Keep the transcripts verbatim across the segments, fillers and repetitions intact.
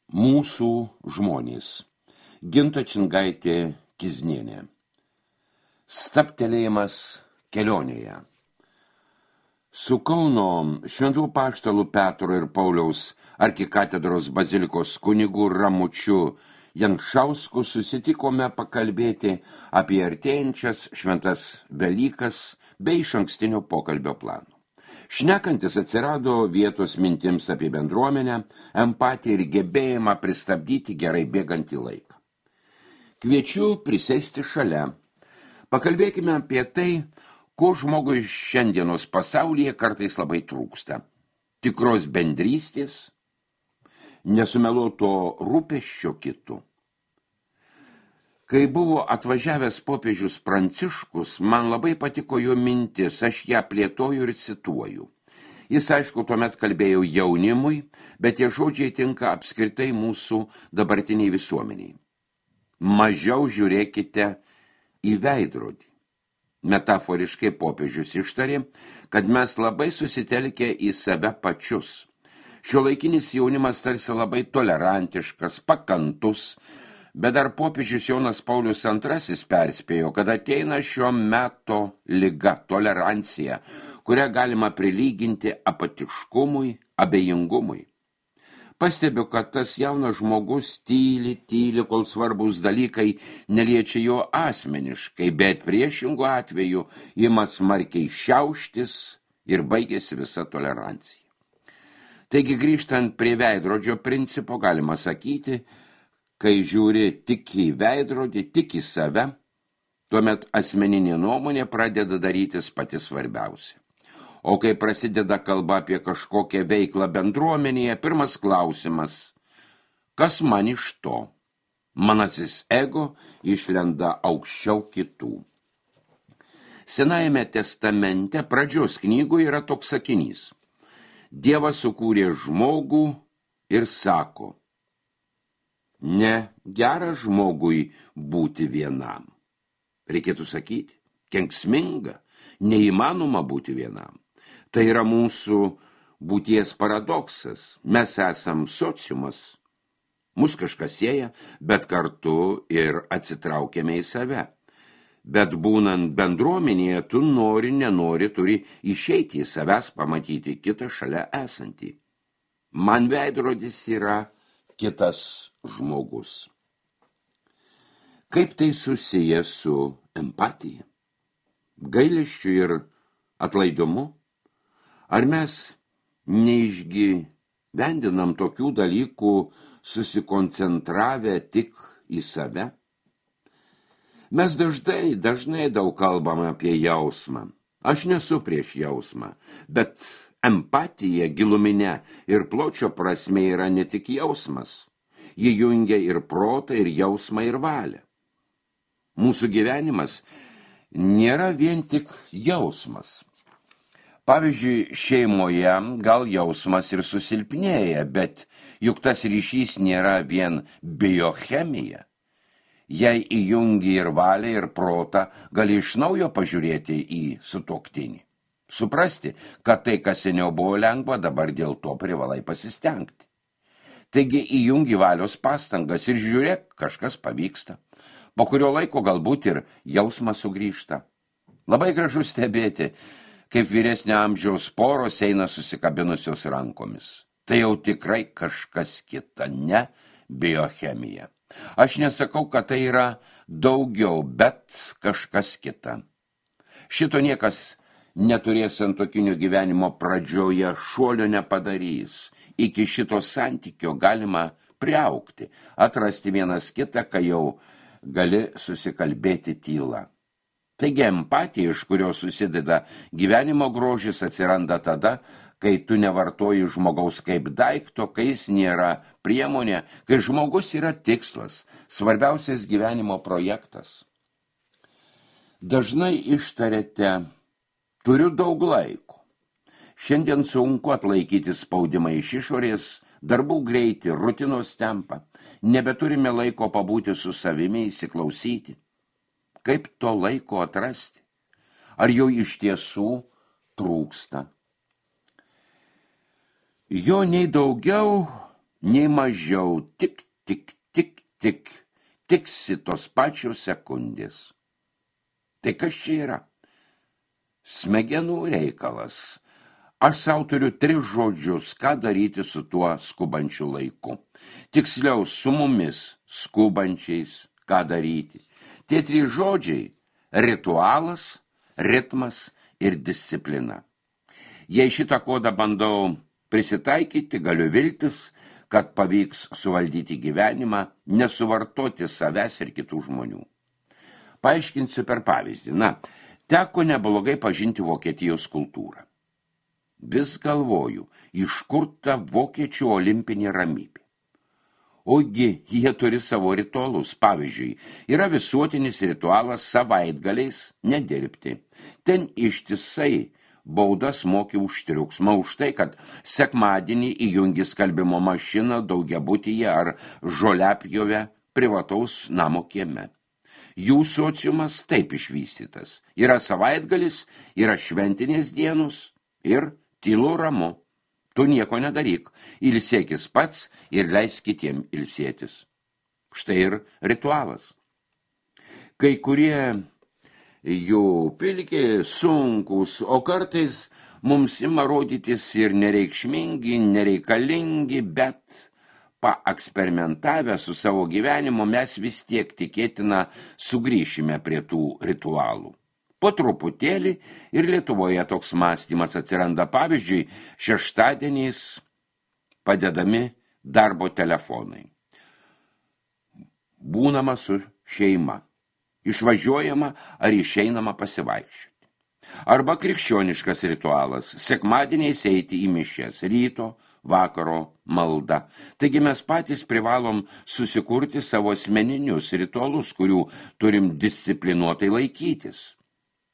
Mūsų žmonės. Ginta Čingaitė Kiznienė. Stabtelėjimas kelionėje. Su Kauno Šventų Apaštalų Petro ir Pauliaus arkikatedros bazilikos kunigu Ramučiu Jančausku susitikome pakalbėti apie artėjančias šventas Velykas bei išankstinio pokalbio plano. Šnekantis atsirado vietos mintims apie bendruomenę, empatiją ir gebėjimą pristabdyti gerai bėgantį laiką. Kviečiu prisėsti šalia. Pakalbėkime apie tai, ko žmogui šiandienos pasaulyje kartais labai trūksta. Tikros bendrystės, nesumeluoto rūpesčio kitų. Kai buvo atvažiavęs popiežius Pranciškus, man labai patiko jo mintis, aš ją plėtoju ir cituoju. Jis, aišku, tuomet kalbėjo jaunimui, bet tie žodžiai tinka apskritai mūsų dabartiniai visuomeniai. Mažiau žiūrėkite į veidrodį. Metaforiškai popiežius ištarė, kad mes labai susitelkę į save pačius. Šiuolaikinis jaunimas tarsi labai tolerantiškas, pakantus, bet dar popiežius Jonas Paulius antrasis perspėjo, kad ateina šio meto liga, tolerancija, kurią galima prilyginti apatiškumui, abejingumui. Pastebiu, kad tas jaunas žmogus tyli, tyli, kol svarbus dalykai neliečia jo asmeniškai, bet priešingų atveju ima smarkiai šiauštis ir baigėsi visa tolerancija. Taigi, grįžtant prie veidrodžio principo, galima sakyti, kai žiūri tik į veidrodį, tik į save, tuomet asmeninė nuomonė pradeda darytis pati svarbiausia. O kai prasideda kalba apie kažkokią veiklą bendruomenėje, pirmas klausimas, kas man iš to? Manasis ego išlenda aukščiau kitų. Senajame testamente pradžios knygoje yra toks sakinys. Dievas sukūrė žmogų ir sako, ne gera žmogui būti vienam. Reikėtų sakyti, kenksminga, neįmanoma būti vienam. Tai yra mūsų būties paradoksas. Mes esam sociumas, mus kažkas sieja, bet kartu ir atsitraukiame į save. Bet būnant bendruomenėje, tu nori, nenori, turi išeiti į savęs, pamatyti kitą šalia esantį. Man veidrodis yra kitas žmogus. Kaip tai susiję su empatija, gailesčiu ir atlaidumu? Ar mes neišgyvendinam tokių dalykų susikoncentravę tik į save? Mes dažnai, dažnai daug kalbame apie jausmą. Aš nesu prieš jausmą, bet empatija giluminė ir pločio prasme yra ne tik jausmas. Ji jungia ir protą, ir jausmą, ir valią. Mūsų gyvenimas nėra vien tik jausmas. Pavyzdžiui, šeimoje gal jausmas ir susilpnėja, bet juk tas ryšys nėra vien biochemija. Jei įjungi ir valią, ir protą, gali iš naujo pažiūrėti į sutuoktinį. Suprasti, kad tai, kas seniau buvo lengva, dabar dėl to privalai pasistengti. Taigi įjungi valios pastangas ir žiūrėk, kažkas pavyksta. Po kurio laiko galbūt ir jausmas sugrįžta. Labai gražu stebėti, kaip vyresnio amžiaus poros eina susikabinusios rankomis. Tai jau tikrai kažkas kita, ne biochemija. Aš nesakau, kad tai yra daugiau, bet kažkas kita. Šito niekas neturės santuokinio gyvenimo pradžioje, šuolio nepadarys. Iki šito santykio galima priaugti, atrasti vienas kitą, kai jau gali susikalbėti tyla. Taigi empatija, iš kurios susideda gyvenimo grožis, atsiranda tada, kai tu nevartoji žmogaus kaip daikto, kai jis nėra priemonė, kai žmogus yra tikslas, svarbiausias gyvenimo projektas. Dažnai ištariate, turiu daug laiko. Šiandien sunku atlaikyti spaudimą iš išorės, darbų greitį, rutinos tempą. Nebeturime laiko pabūti su savimi, įsiklausyti. Kaip to laiko atrasti? Ar jau iš tiesų trūksta? Jo nei daugiau, nei mažiau, tik, tik, tik, tik, tiksi tos pačios sekundės. Tai kas čia yra? Smegenų reikalas. Aš sau turiu tris žodžius, ką daryti su tuo skubančiu laiku. Tiksliau, su mumis skubančiais, ką daryti. Tie trys žodžiai – ritualas, ritmas ir disciplina. Jei šitą kodą bandau prisitaikyti, galiu viltis, kad pavyks suvaldyti gyvenimą, nesuvartoti savęs ir kitų žmonių. Paaiškinsiu per pavyzdį. Na, teko neblogai pažinti Vokietijos kultūrą. Vis galvoju, iš kur ta vokiečių olimpinė ramybė. Ogi, jie turi savo ritualus. Pavyzdžiui, yra visuotinis ritualas savaitgaliais nedirbti. Ten ištisai baudas moki už triukšmą, už tai, kad sekmadienį įjungi skalbimo mašiną daugiabutyje ar žoliapjove privataus namo kieme. Jų sociumas taip išvystytas. Yra savaitgalis, yra šventinės dienos ir tylu ramu. Tu nieko nedaryk, ilsėkis pats ir leisk kitiem ilsėtis. Štai ir ritualas. Kai kurie jų pilki, sunkus, o kartais mums ima rodytis ir nereikšmingi, nereikalingi, bet paeksperimentavę su savo gyvenimu mes vis tiek tikėtina sugrįšime prie tų ritualų. Po truputėlį ir Lietuvoje toks mąstymas atsiranda, pavyzdžiui, šeštadieniais padedami darbo telefonai. Būnama su šeima, išvažiuojama ar išeinama pasivaikščioti. Arba krikščioniškas ritualas, sekmadieniais eiti į mišias, ryto, vakaro malda. Taigi mes patys privalom susikurti savo asmeninius ritualus, kurių turim disciplinuotai laikytis.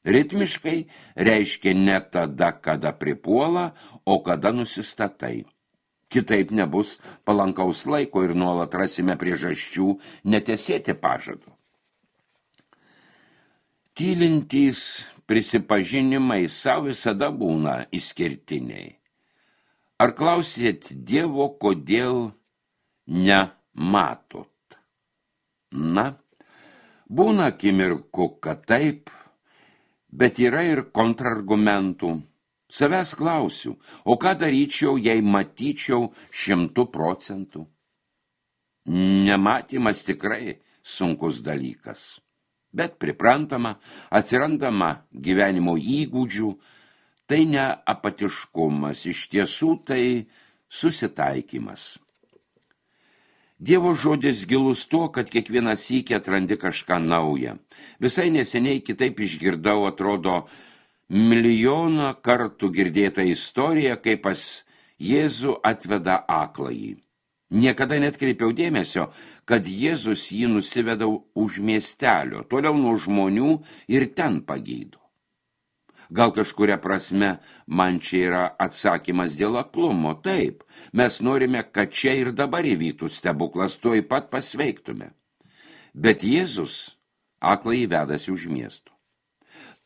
Ritmiškai reiškia ne tada, kada pripuola, o kada nusistatai. Kitaip nebus palankaus laiko ir nuolat rasime priežasčių netesėti pažadų. Tylintys prisipažinimai savo visada būna išskirtiniai. Ar klausėt Dievo, kodėl nematot? Na, būna akimirkų, kad taip, bet yra ir kontrargumentų. Savęs klausiu, o ką daryčiau, jei matyčiau šimtų procentų? Nematymas tikrai sunkus dalykas, bet priprantama, atsirandama gyvenimo įgūdžių, tai ne apatiškumas, iš tiesų tai susitaikymas. Dievo žodis gilus tuo, kad kiekvieną sykį atrandi kažką naują. Visai neseniai kitaip išgirdau, atrodo, milijoną kartų girdėtą istoriją, kaip pas Jėzų atveda akląjį. Niekada netkreipiau dėmesio, kad Jėzus jį nusiveda už miestelio, toliau nuo žmonių ir ten pagydo. Gal kažkuria prasme man čia yra atsakymas dėl aklumo. Taip, mes norime, kad čia ir dabar įvyktų stebuklas, tuoj pat pasveiktume. Bet Jėzus akląjį vedasi už miesto.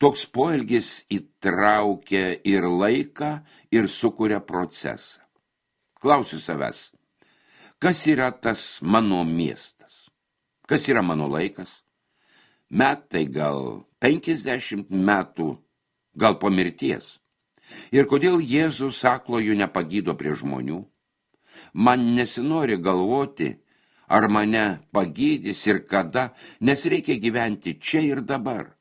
Toks poelgis įtraukia ir laiką, ir sukuria procesą. Klausiu savęs, kas yra tas mano miestas? Kas yra mano laikas? Metai gal penkiasdešimt metų, gal po mirties. Ir kodėl Jėzus aklojų nepagydo prie žmonių? Man nesinori galvoti, ar mane pagydys ir kada, nes reikia gyventi čia ir dabar.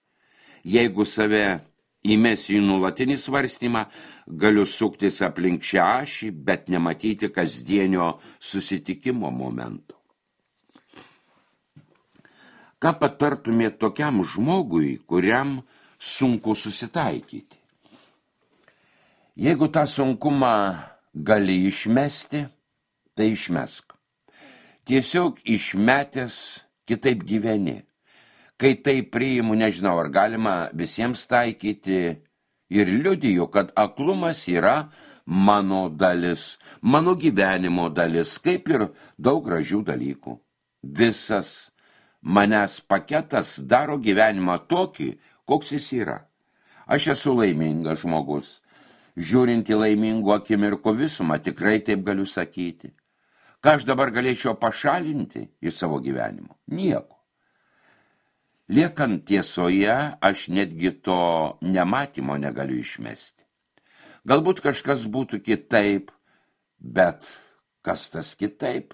Jeigu save įmesiu į nuolatinį svarstymą, galiu suktis aplink šią ašį, bet nematyti kasdienio susitikimo momento. Ką patartumėt tokiam žmogui, kuriam sunku susitaikyti? Jeigu tą sunkumą gali išmesti, tai išmesk. Tiesiog išmetęs kitaip gyveni. Kai tai priimu, nežinau, ar galima visiems taikyti, ir liudiju, kad aklumas yra mano dalis, mano gyvenimo dalis, kaip ir daug gražių dalykų. Visas manęs paketas daro gyvenimą tokį, koks jis yra. Aš esu laimingas žmogus. Žiūrint į laimingų akimirkų visumą, tikrai taip galiu sakyti. Ką aš dabar galėčiau pašalinti iš savo gyvenimo? Nieko. Liekant tiesoje, aš netgi to nematymo negaliu išmesti. Galbūt kažkas būtų kitaip, bet kas tas kitaip,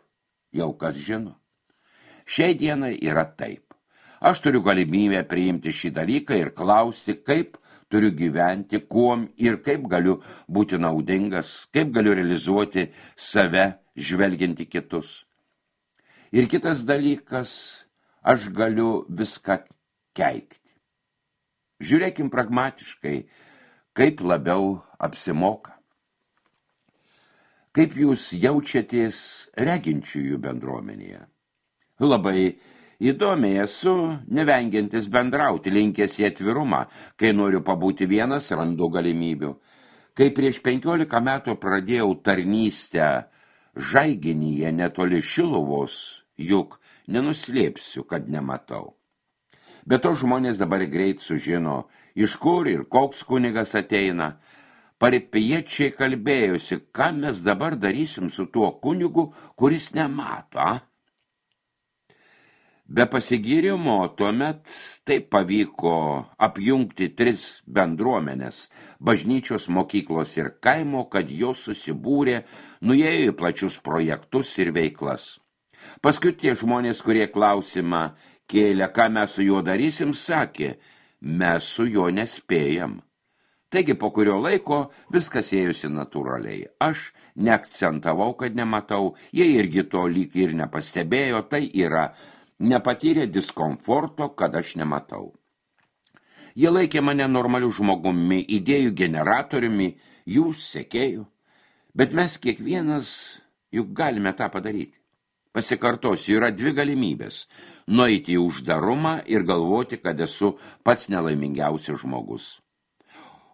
jau kas žino. Šiai dienai yra taip. Aš turiu galimybę priimti šį dalyką ir klausti, kaip turiu gyventi, kuom ir kaip galiu būti naudingas, kaip galiu realizuoti save, žvelgianti kitus. Ir kitas dalykas, aš galiu viską keikti. Žiūrėkim pragmatiškai, kaip labiau apsimoka. Kaip jūs jaučiatės reginčiųjų bendruomenėje? Labai įdomiai esu, nevengiantis bendrauti, linkęs į atvirumą. Kai noriu pabūti vienas, randu galimybių. Kai prieš penkiolika metų pradėjau tarnystę Žaiginyje netoli Šiluvos, juk nenuslėpsiu, kad nematau. Be to žmonės dabar greit sužino, iš kur ir koks kunigas ateina. Paripiečiai kalbėjosi, ką mes dabar darysim su tuo kunigu, kuris nemato, a? Be pasigyrimo tuomet taip pavyko apjungti tris bendruomenės, bažnyčios, mokyklos ir kaimo, kad jos susibūrė, nuėjo į plačius projektus ir veiklas. Paskui tie žmonės, kurie klausimą kėlė, ką mes su juo darysim, sakė, mes su juo nespėjam. Taigi po kurio laiko viskas ėjusi natūraliai. Aš neakcentavau, kad nematau, jie irgi to lyg ir nepastebėjo, tai yra nepatyrė diskomforto, kad aš nematau. Jie laikė mane normaliu žmogumi, idėjų generatoriumi, jų sekėjų, bet mes kiekvienas juk galime tą padaryti. Pasikartosiu, yra dvi galimybės – nueiti į uždarumą ir galvoti, kad esu pats nelaimingiausias žmogus.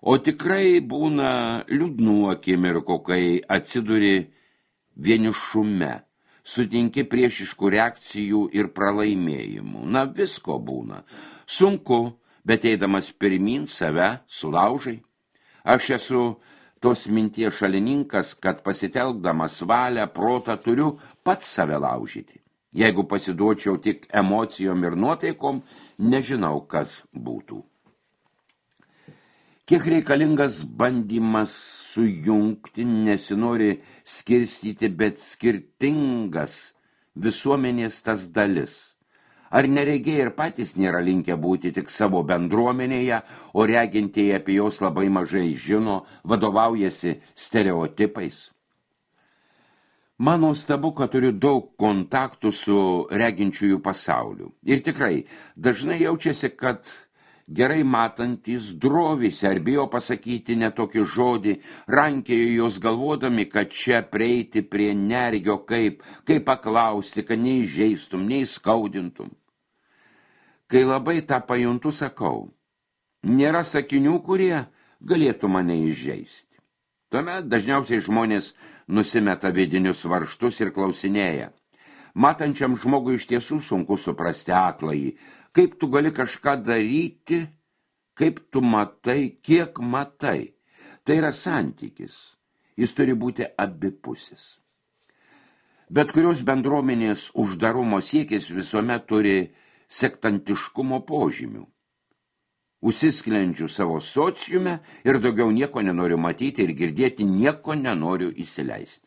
O tikrai būna liūdnų akimirkų, kai atsiduri vienišume, sutinki priešiškų reakcijų ir pralaimėjimų. Na, visko būna. Sunku, bet eidamas pirmyn save sulaužai. Aš esu tos minties šalininkas, kad pasitelkdamas valią, protą turiu pats save laužyti. Jeigu pasiduočiau tik emocijom ir nuotaikom, nežinau, kas būtų. Kiek reikalingas bandymas sujungti, nesinori skirstyti, bet skirtingas visuomenės tas dalis. Ar neregiai ir patys nėra linkę būti tik savo bendruomenėje, o regintieji apie jos labai mažai žino, vadovaujasi stereotipais? Man nuostabu, kad turiu daug kontaktų su reginčiųjų pasauliu. Ir tikrai, dažnai jaučiasi, kad gerai matantys drovisi ar bijo pasakyti netokį žodį, rankėjo jos galvodami, kad čia prieiti prie nergio, kaip, kaip paklausti, kad neįžeistum, neįskaudintum. Kai labai tą pajuntu, sakau, nėra sakinių, kurie galėtų mane įžeisti. Tuomet dažniausiai žmonės nusimeta vidinius varžtus ir klausinėja. Matančiam žmogui iš tiesų sunku suprasti akląjį, kaip tu gali kažką daryti, kaip tu matai, kiek matai. Tai yra santykis. Jis turi būti abipusis. Bet kurios bendruomenės uždarumo siekis visuomet turi sektantiškumo požymių. Užsisklenčiu savo sociume ir daugiau nieko nenoriu matyti ir girdėti, nieko nenoriu įsileisti.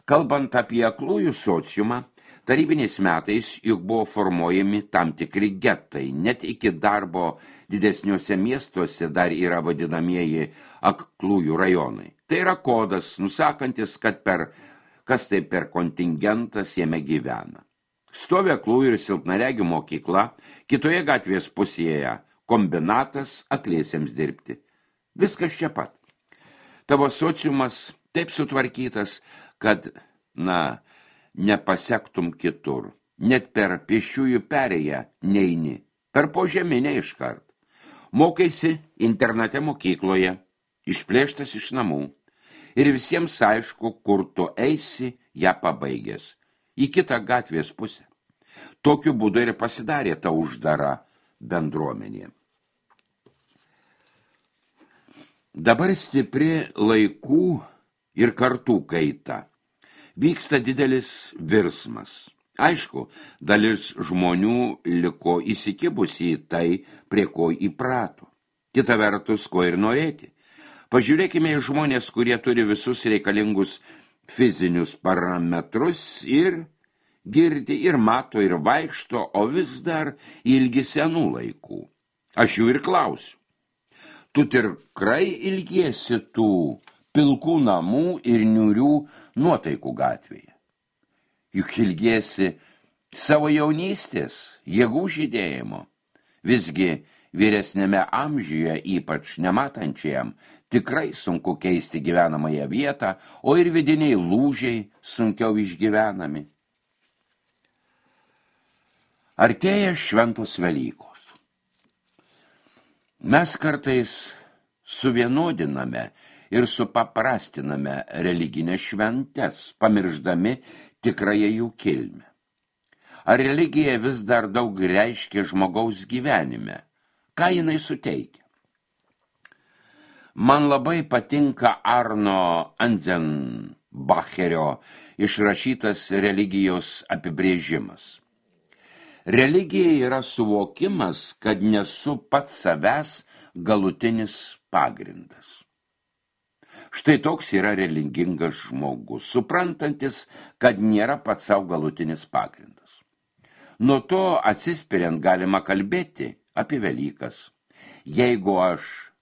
Kalbant apie aklųjų sociumą, tarybiniais metais juk buvo formuojami tam tikri getai, net iki darbo didesniuose miestuose dar yra vadinamieji aklųjų rajonai. Tai yra kodas, nusakantis, kad per, kas tai per kontingentas jame gyvena. Stovi aklųjų ir silpnaregių mokykla, kitoje gatvės pusėje kombinatas akliesiems dirbti. Viskas čia pat. Tavo sociumas taip sutvarkytas, kad, na, nepasektum kitur. Net per pėsčiųjų perėją neini, per požeminę iškart. Mokaisi internate mokykloje, išplėštas iš namų. Ir visiems aišku, kur tu eisi, ją pabaigęs. Į kitą gatvės pusę. Tokiu būdu ir pasidarė ta uždara bendruomenė. Dabar stipri laikų ir kartų kaita. Vyksta didelis virsmas. Aišku, dalis žmonių liko įsikibusi į tai, prie ko įprato. Kita vertus, ko ir norėti. Pažiūrėkime į žmonės, kurie turi visus reikalingus fizinius parametrus ir girdi, ir mato, ir vaikšto, o vis dar ilgi senų laikų. Aš jų ir klausiu. Tu tikrai ilgiesi tų pilkų namų ir niūrių nuotaikų gatvėje? Juk ilgiesi savo jaunystės, jėgų žydėjimo. Visgi vyresnėme amžiuje, ypač nematančiam, tikrai sunku keisti gyvenamąją vietą, o ir vidiniai lūžiai sunkiau išgyvenami. Artėja šventos Velykos. Mes kartais suvienodiname ir supaprastiname religinės šventes, pamirždami tikrąją jų kilmę. Ar religija vis dar daug reiškia žmogaus gyvenime? Ką jinai suteikia? Man labai patinka Arno Anzenbacherio išrašytas religijos apibrėžimas. Religija yra suvokimas, kad nesu pats savęs galutinis pagrindas. Štai toks yra religingas žmogus, suprantantis, kad nėra pats savo galutinis pagrindas. Nuo to atsispiriant galima kalbėti apie Velykas. Jeigu aš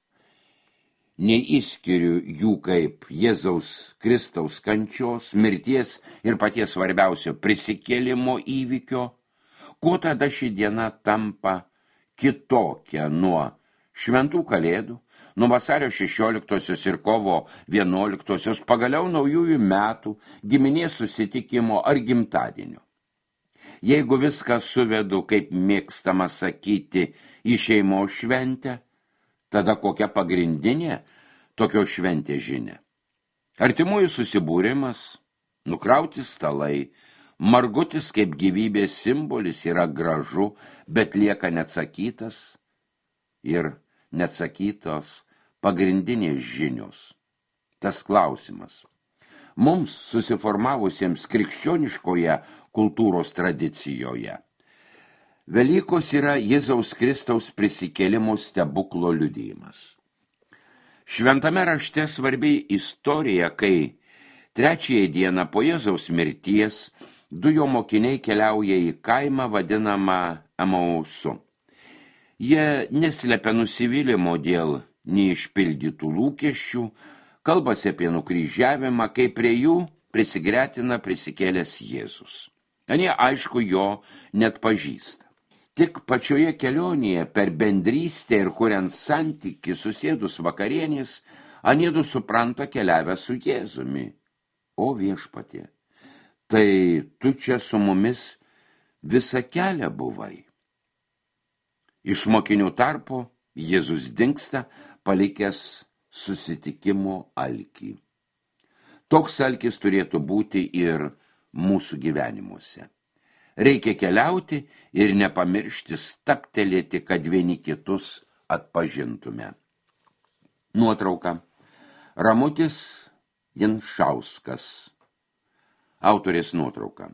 neįskiriu jų kaip Jėzaus Kristaus kančios, mirties ir paties svarbiausio prisikėlimo įvykio, kuo tada ši diena tampa kitokia nuo šventų kalėdų, nuo vasario šešioliktosios ir kovo vienuoliktosios, pagaliau naujųjų metų, giminės susitikimo ar gimtadienio. Jeigu viską suvedu, kaip mėgstama sakyti, į šeimos šventę, tada kokia pagrindinė tokio šventė žinia? Artimųjų susibūrimas, nukrauti stalai, margutis kaip gyvybės simbolis yra gražu, bet lieka neatsakytas ir neatsakytos pagrindinės žinios. Tas klausimas. Mums susiformavusiems krikščioniškoje kultūros tradicijoje Velykos yra Jėzaus Kristaus prisikėlimo stebuklo liudijimas. Šventame rašte svarbi istorija, kai trečiąją dieną po Jėzaus mirties du jo mokiniai keliauja į kaimą vadinamą Emausu. Jie neslepia nusivylimo dėl neišpildytų lūkesčių, kalbasi apie nukryžiavimą, kai prie jų prisigretina prisikėlęs Jėzus. Anie aišku jo net pažįsta. Tik pačioje kelionėje per bendrystę ir kuriant santykį susėdus vakarienės, aniedu supranta keliavę su Jėzumi. O viešpatie, tai tu čia su mumis visą kelią buvai. Iš mokinių tarpo Jėzus dingsta, palikęs susitikimo alkį. Toks alkis turėtų būti ir mūsų gyvenimuose. Reikia keliauti ir nepamiršti stabtelėti, kad vieni kitus atpažintume. Nuotrauka. Ramutis Janšauskas. Autorės nuotrauka.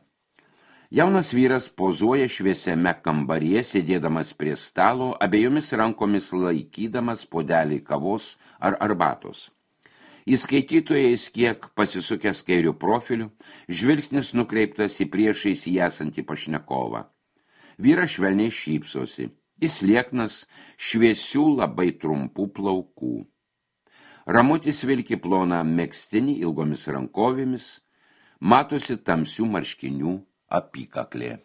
Jaunas vyras pozuoja šviesiame kambaryje, sėdėdamas prie stalo, abiejomis rankomis laikydamas puodelį kavos ar arbatos. Į skaitytojais kiek pasisukęs kairių profilių, žvilgsnis nukreiptas į priešais jį esantį pašnekovą. Vyras švelniai šypsosi, jis lieknas, šviesių labai trumpų plaukų. Ramutis vilki ploną megztinį ilgomis rankovėmis, matosi tamsių marškinių apykaklė.